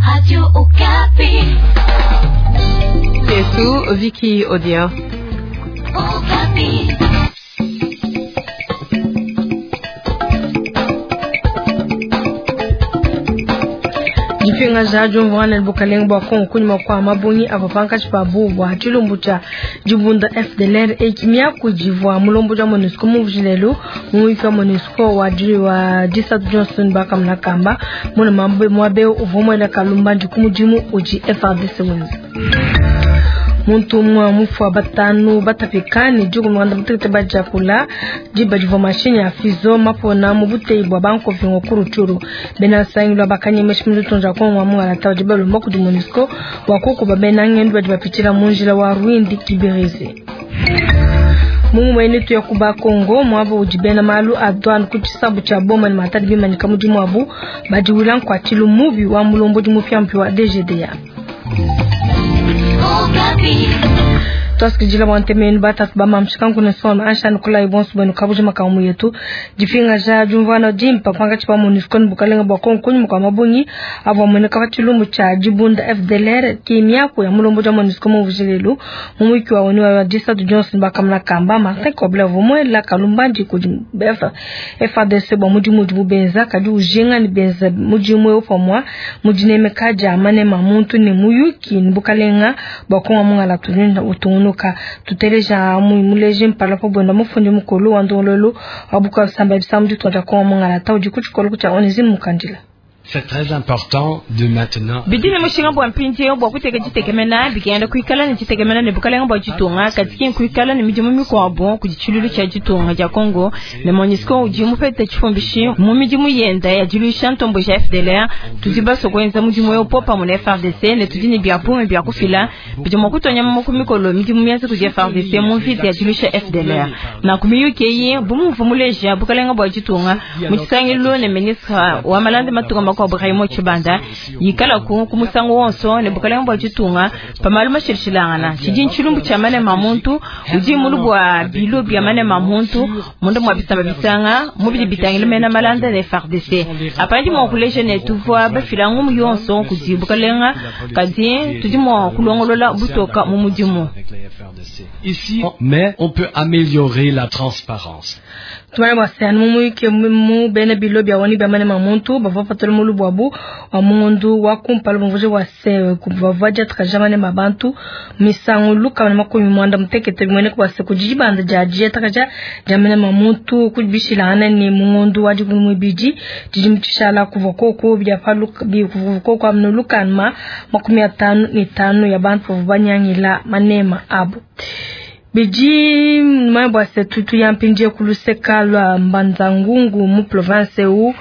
Radio Okapi. Yetu Vicky Odia. Okapi. Dipingaja diumvuangana ne bukalenge bua Kongo kunyima kua mabungi avua pankatshi pabu bua tshilumbu tshia dibunda FDLR eki miaku divua mulombodi wa MONUSCO mumvuije lelu mu muyuki wa MONUSCO wa wa disatu Johnson bakamuna kamba muna muaba eu uvua muela kalumbandi ku mudimu udi FARDC wenza. Muntu umue mufua batanu batapika ne dikumi muanda mutekete badiakula diba divua mashinyi a fizo mapona mu buteyi bua bankovingo ku Rutshuru. Bena nsangilu aba kanyemesha mu ditunga dia Kongo wa mungalata badi balomba kudi MONUSCO bua kukuba bena ngendu badi bapitshila mu njila wa Rwindi Kibirizi. Mu ngumu tuya ku Bakongo muaba udi bena malu a douane ku tshisabu tshia Boma ne Matadi bimanyika mudimu wabu badiwila nkuatshilu mubi wa mulombodi mupiamupia wa DGDA. Okapi. Twasikidila bua ntemenu batatu ba mamshika nkuna soma anshani kulayi bonso bwenu kabuji makamu yetu dipingaja diumvuana dimpa pankatshi pa MONUSCO ne bukalenga bua Kongo kunyima kua mabungi avua amueneka pa tshilumbu tshia dibunda FDLR ki miaku ya mulombodi wa MONUSCO mumvuije lelu mu muyuki wa ONU wa disatu Johnson bakamuna kamba Martin Kobler uvua muela kalumbandi kudi FARDC bua mudimu udibu benza kadi ujinga ne benza mudimu eu pamua mu dinemeka dia manema muntu ne muyuki ne bukalenga bua Kongo mungala tulinda utungunuka tuteleja muleji mpala pa bwenda mufundi mukulu wa ndongololo wa bukua bisamba bisamu ditunga dia Kongo mungala ta udi ku tshikolo tshia Onesime Mukandila. C'est très important de maintenant. Bidi ne mushinga bua mpindieu bua kuteka ditekemena bikenda kuikala ne ditekemena ne bukalenga bua ditunga kadi kuikala ne midimu mikuabu kudi tshilulu tshia ditunga dia Kongo ne MONUSCO udi mupete tshifumbishi mu midimu yenda ya diluisha ntombo ja FDLR. Tudi basue kuenza mudimu eu popamue ne FARDC ne tudi ne bia bungi bia kufila bidi mua kutonya ku mikolo midimu mienza kudi FARDC mu mvita ya diluisha FDLR. Nanku miyuki eyi bu muvua muleja bukalenga bua ditunga mu tshisangilu ne ministre wa malanda matunga makuabu Raymond Tshibanda yikalaku ku musangu wonso ne bukalenga bua ditunga pa malu mashilashilangana tshidi ntshilumbu tshia manema muntu udi mulu bua bilo bia manema muntu munda mua bisamba bisanga mu bidi bitangila mena malanda ne FARDC. Apa ndi mua kuleja ne tuvua bafila ngumu yonso kudi bukalenga kadi tudi mua kulongolola butoka mu mudimu. Ici, mais on peut améliorer la transparence. Tumanya bua se anu mu muyuki mu bena bilo bia ONU bia manema muntu bavua bapatula mulu buabu wa mungondu wa kumpala bumvuije bua se bavua diatakaja manema bantu misangu lukama ne makumi muanda mutekete bimueneka bua se kudi dibanda dia diatakaja dia manema muntu kudibishilangana ne mungondu wa dikumi muibidi tshidimu tshishala kuvua koku bia pa kuvua koku amnu lukama 55 ya bantu bavua banyangila manema abu. Bidi manya bua se tutu ya mpindieu ku luseka lua Mbanza-Ngungu mu province eu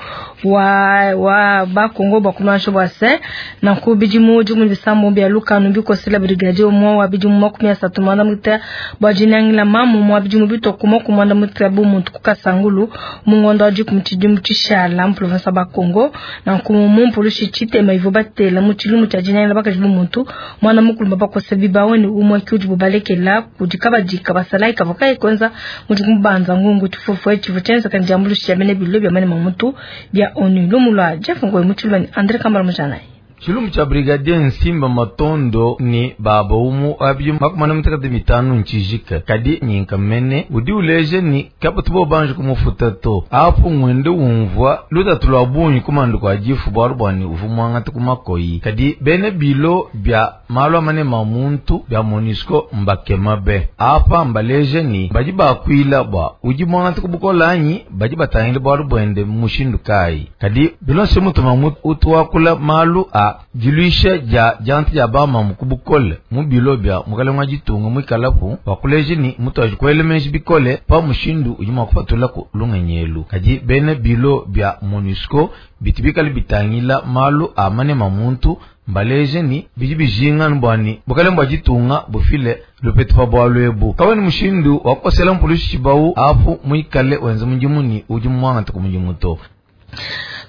wa wa Bakongo bua kumansha bua se nanku bidimu dikumi bisambo bia lukanu bikosela brigadier umue wa bidimu 36 bua dinangila mamu mua bidimu bitoko 90 bu muntu ku Kasangulu mu ngondo wa dikumi tshidimu tshishala mu province wa Bakongo. Nanku mu mpulushi tshitema ivua batela mu tshilumbu tshia dinangila bakaji bu muntu mwana mukulu bakosa bibawe ne umue ki udibu balekela kudi kabadi kabasalayi kavua kayi kuenza mudimu Mbanza-Ngungu tshifufu tshivua tshienzeka ne diambuluisha dia bena bilo bia manema muntu bia ONU. Lumu lua Jeff Ngoyi mu tshiluba ne Andre Kambala Mujanayi. Tshilumbu tshia brigadier Nsimba Matondo ni baba umu wa bidimu 45 ntshijika kadi nyinka mene udi uleja ni kabatu bo banje kumufuta to apo ngwende umvua lutatu lua bungi kumandu kua difu bualu bua ni uvua muangata ku makoyi kadi bena bilo bia malu a manema muntu bia MONUSCO mbakema be apa mbaleja ni badi bakuila bua udi muangata ku bukola anyi badi batangile bualu buende mushindu kayi kadi bilonse mutuma utu wakula malu a diluisha dia dianta dia bamamu ku bukole mu bilo bia mukalenge wa ditunga muikalapu wakuleja ni mutu aji kuela meji bikole pa mushindu udi mua kupatula ku lungenyelu kadi bena bilo bia MONUSCO bitu bikale bitangila malu a manema muntu mbaleje ni bidi bijinga bua ni bukalenge bua ditunga bufile lupetu pa bualu ebu kaweni mushindu wa kukosela mpulushi tshibawu apu muikale wenza mudimu ni udi muangata ku mudimu to.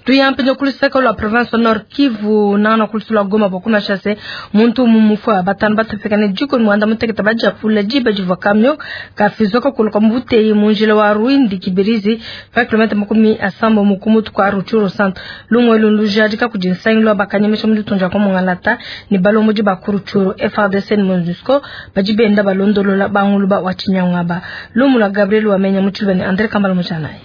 Tuyampenye kuluseka lwa province Nord Kivu nana kulusula Goma bokuna shase muntu mumufwa batano batafekane jiko mwanda muteketa baja pula jiba jiva kamyo kafizoka kuluka mbuteyi munjila wa Rwindi Kibirizi 5 km 70 mukumutu kwa Rutshuru centre lumwe lunlujadika kujinsangilwa bakanyemesha mulitunja kwa mungalata ni balomoji ba Rutshuru FARDC ni MONUSCO bajibenda balondolola banguluba wa Chinyangwaba lumula Gabriel wamenya mutulbani Andre Kambala mujanaye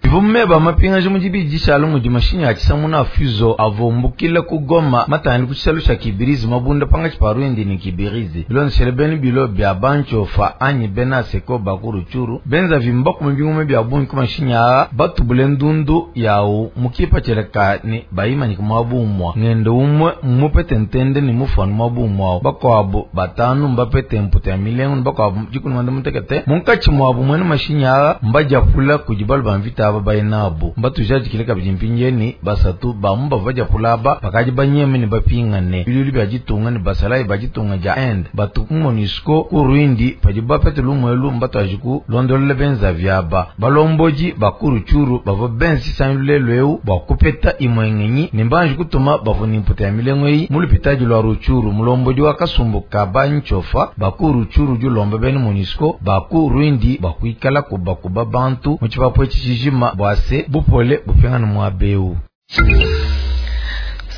Ivumme ba mapinga jimu jibiji shalo mu jimashinya achisamuna fuzo avumbukile kugoma matani kuchisalo sha Kibirizi mabunda panga chiparundi ni Kibirizi bilonshele beni bilo bya banchofa anyi bena seko bakuru churu benza vimba kumibingume bya bungi kumashinya batubule ndundu yawu mukipa cheleka ni bayimanyika mwabumwa ngendo umwe mupete ntende ni mufanu mwabumwa bakwabo batanu mbapete mputa ya milengo bakwabo jikunu mutekete munkachi mwabu mwene mashinya mbajapula kujibalu bamvita bainabo mbatujajikile kabidi mpinjeni basatu bamu bavaja kulaba bakaji banyeme ni bapingane bilulu bya jitunga ni basalayi bajitunga ja end batu MONUSCO ku Rwindi padi bapete lumwelu mbatu londolele benza vyaba balomboji bakuru churu bava benzi sanlule lweu bwakupeta imwengenyi ni mbanji kutuma bavuni mputa ya milengo eyi mulupitaji lwa Rutshuru mulomboji wa kasumbu ka banchofa bakuru churu julomba beni MONUSCO baku Rwindi bakuikala kubakuba bantu muchipapo chichijima bwase bupole bupengana mwabeu.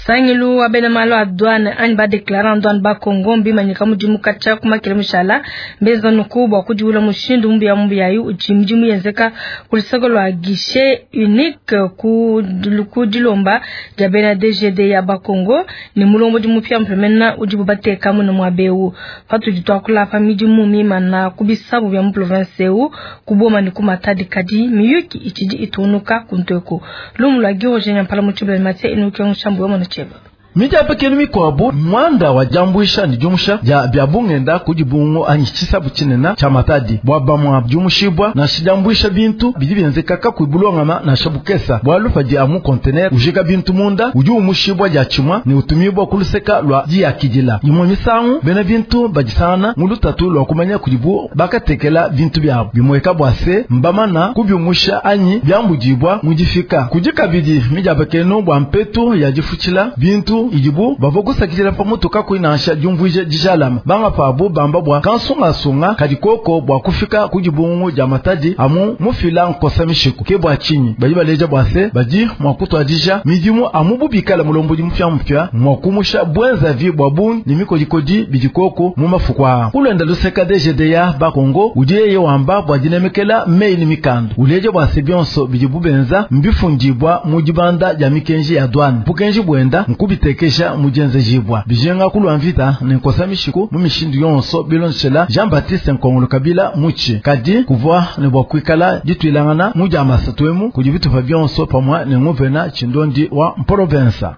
Sangilu wa bena malo a douane anyi ba déclarant douane ba Congo mbimanyika mudimu kacha kumakile mushala mbeza nuku bwa kudiwula mushindu mbuya mbuya yu uchi mudimu yenzeka kulisoko lwa guichet unique ku ku dilomba dia bena DGD ya ba Congo ni mulombo di mupya mpemena udibu bateka muno mwabeu patu ditwakula pa midimu mimana kubisabu bya mu province eu kuboma ni kumatadi kadi miyuki ichidi itunuka kuntweko lumu lwa Giroje mpala mutshibula matse inuke nshambu wa cheba mijapekeni mikwabu mwanda wa jambwisha ni jumusha ja bya bungenda kujibungo anyi chisabu chinena cha matadi bwaba mwa jumushibwa na shijambwisha bintu bidi byenzeka kakuibulongama na shabukesa bwalufa di amu container ujika bintu munda uju umushibwa ja chimwa ni utumibwa kuluseka lwa jiya kijila imwe misangu bena bintu bajisana mulutatu lwa kumanya kujibu bakatekela bintu byabo bimweka bwase mbamana kubyumusha anyi byambujibwa mujifika kujikabidi mijapekenu bwa mpetu ya jifuchila bintu ijibu bavo kusakitila pamutu kakuinasha jumvwije dijalama banga pabu bamba bwa kansungasunga kadikoko bwa kufika kujibungu ja matadi amu mufila nkosa mishiku ke bwa chinyi baji baleja bwase baji mwakutwadija midimu amu bubikala mulombo mupya mupya mwakumusha bwenza vi bwa bungi ni mikodikodi bidikoko mu mafukwa kulwenda luseka DGDA ba Kongo ujeye wamba bwa dinemekela mei ni mikando uleje bwase byonso bijibu benza mbifundibwa mu jibanda ja mikenji ya douane bukenji bwenda nkubiteke kesha mujenze jibwa bijenga kulwa mvita ni nkosa mishiku mu mishindu yonso bilonshela Jean-Baptiste Nkongolo Kabila muchi kadi kuvwa ne bwa kwikala ditwilangana muja masatwemu kujibitupa byonso pamwa ne nguvena chindondi wa mprovensa.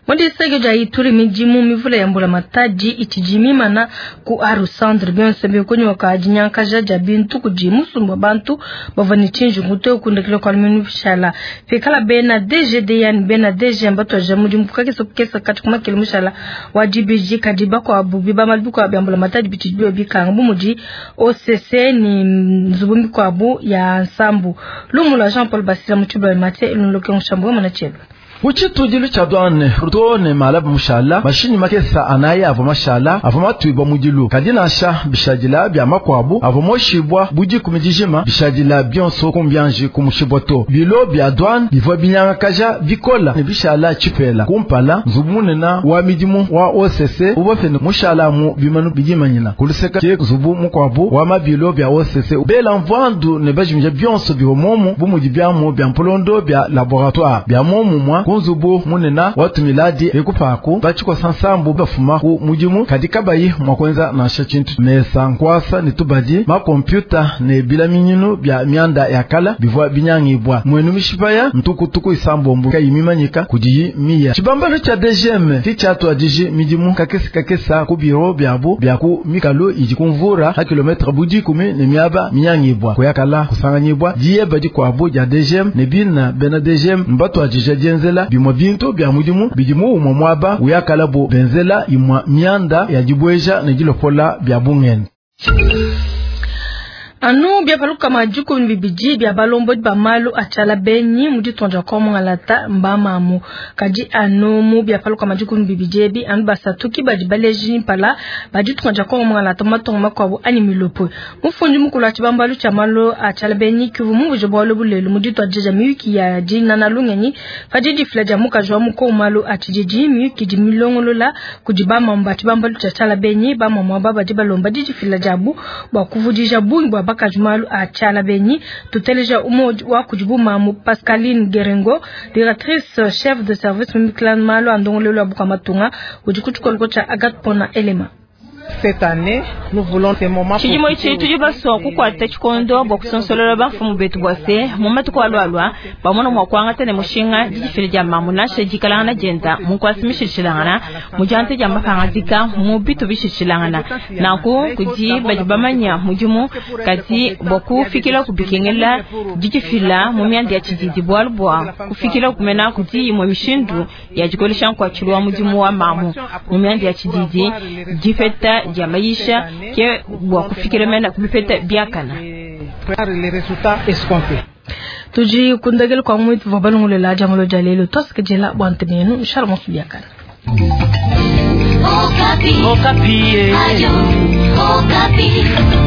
Mwandisege ja Ituri mijimu mivula ya mbula mataji ichijimimana ku aru centre byonse bikonyo wakajinyanka jaja bintu kujimusumba bantu bavani chinju ngute kundekele kwa minu bishala pekala bena DGD yani bena DG mbato jamudi mukake sokesa kati kuma kile mushala wajibiji kadiba kwa bubiba malibuko ya mbula mataji bichijibyo bikanga bumuji OCC ni nzubumbi kwa bu ya nsambu lumula Jean Paul Basila mutuba mate ilunloke nshambu mwana cheba Kuchitujilu cha douane rutone malabu mushala mashini makesa anaye avo mashala avo matwibwa mujilu kadinasha bishajila bya makwabu avo moshibwa buji kumijijima bishajila byonso kumbyanji kumushibwa to bilo bya douane bivwa binyangakaja bikola ne bishala chipela kumpala nzubu munena wa midimu wa OCC ubafene mushala mu bimanu bijimanyina kuluseka ke nzubu mukwabu wa mabilo bya OCC bela mvandu ne bajimija byonso bihomomu bumuji byamu bya mpulondo bya laboratoire bya momu mwa kunzubu munena watumiladi ekupaku bachiko sansambu bafuma ku mujimu kadika bayi mwakwenza nasha chintu mesa nkwasa ni tubadi ma kompyuta ne bilaminyinu bya myanda ya kala bivwa binyangibwa mwenu mishipaya ntukutuku isambombu kayimimanyika kudiyi miya chibambalo cha DGM kichatu adiji midimu kakesi kakesa ku biro byabu bya ku mikalo idi kumvura ha kilometre budi kumi ne miaba minyangibwa kuyakala kusanganyibwa diye badi kwabu ya DGM ne bina bena DGM mbatu adija jenzela bimwa bintu bya mudimu bidimu umwa mwaba uyakala bo benzela imwa mianda ya jibweja ne jilopola bya bungene. Anu bia palukama 12 bia balombodi ba malu a tshiala benyi mu ditunga dia Kongo Mungalata mbamamu. Kadi anu mu bia palukama 12 ebi anu basatu ki badi baleji mpala ba ditunga dia Kongo Mungalata mu matunga makuabu anyi milopo. Mufundi mukulu wa tshibambalu tshia malu a tshiala benyi kivu mumvuje bualu bulelu mu dituadija dia miyuki ya dinana lungenyi padi difila dia mukaji wa muko malu a tshididi miyuki di milongolola kudi bamamu ba tshibambalu tshia tshiala benyi. Bamamu aba badi balomba didifila diabu bua kuvudija bungi bua bakaji malu a tshiala benyi. Tuteleja umwe wa kudi mamu Pascaline Gerengo, directrice chef de service mimiklan malu a ndongolelo ya bukua-matunga udi ku tshikoloko tshia Agathe Pona Elema. Cette année, nous voulons ces moments. Tshidimo itshi tudi basua kukuata tshikondo bua kusonsolola bamfumu betu bua se mu matuku alualua bamona mua kuangata ne mushinga didifila dia mamu nansha dikalangana dienda mu nkuasa mishilshilangana mu dianta dia mapangadika mu bitu bishilshilangana nanku kudi badi bamanya mudimu kadi bua kufikila kubikengela didifila mu mianda ya tshididi bualu bua kufikila kumena kudi imue mishindu ya dikolesha nkuatshilu wa mudimu wa mamu mu mianda ya tshididi dipeta dia maisha ke bua kufikila mena kubipeta biakana. Les résultats escomptés. Tudi kundagela kwa mwitu vwa balongolela dia mulo dia lelo tosikejela bua ntemenu nshala monso biakana. Okapi. Okapi. Ayo, Okapi.